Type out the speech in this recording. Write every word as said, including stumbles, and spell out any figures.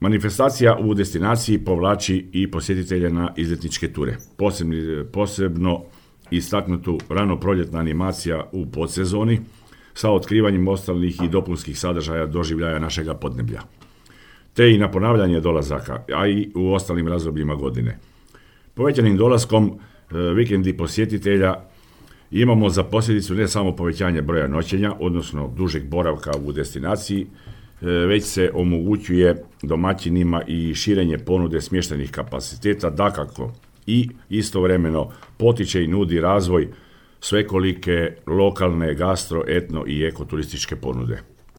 Manifestacija u destinaciji povlači i posjetitelje na izletničke ture. Posebni, posebno istaknutu rano proljetna animacija u podsezoni sa otkrivanjem ostalih i dopunskih sadržaja doživljaja našega podneblja. Te i na ponavljanje dolazaka, a i u ostalim razdobljima godine. Povećanim dolaskom e, vikendi posjetitelja imamo za posljedicu ne samo povećanje broja noćenja, odnosno dužeg boravka u destinaciji, već se omogućuje domaćinima i širenje ponude smještajnih kapaciteta, dakako i istovremeno potiče i nudi razvoj svekolike lokalne gastro, etno i ekoturističke ponude.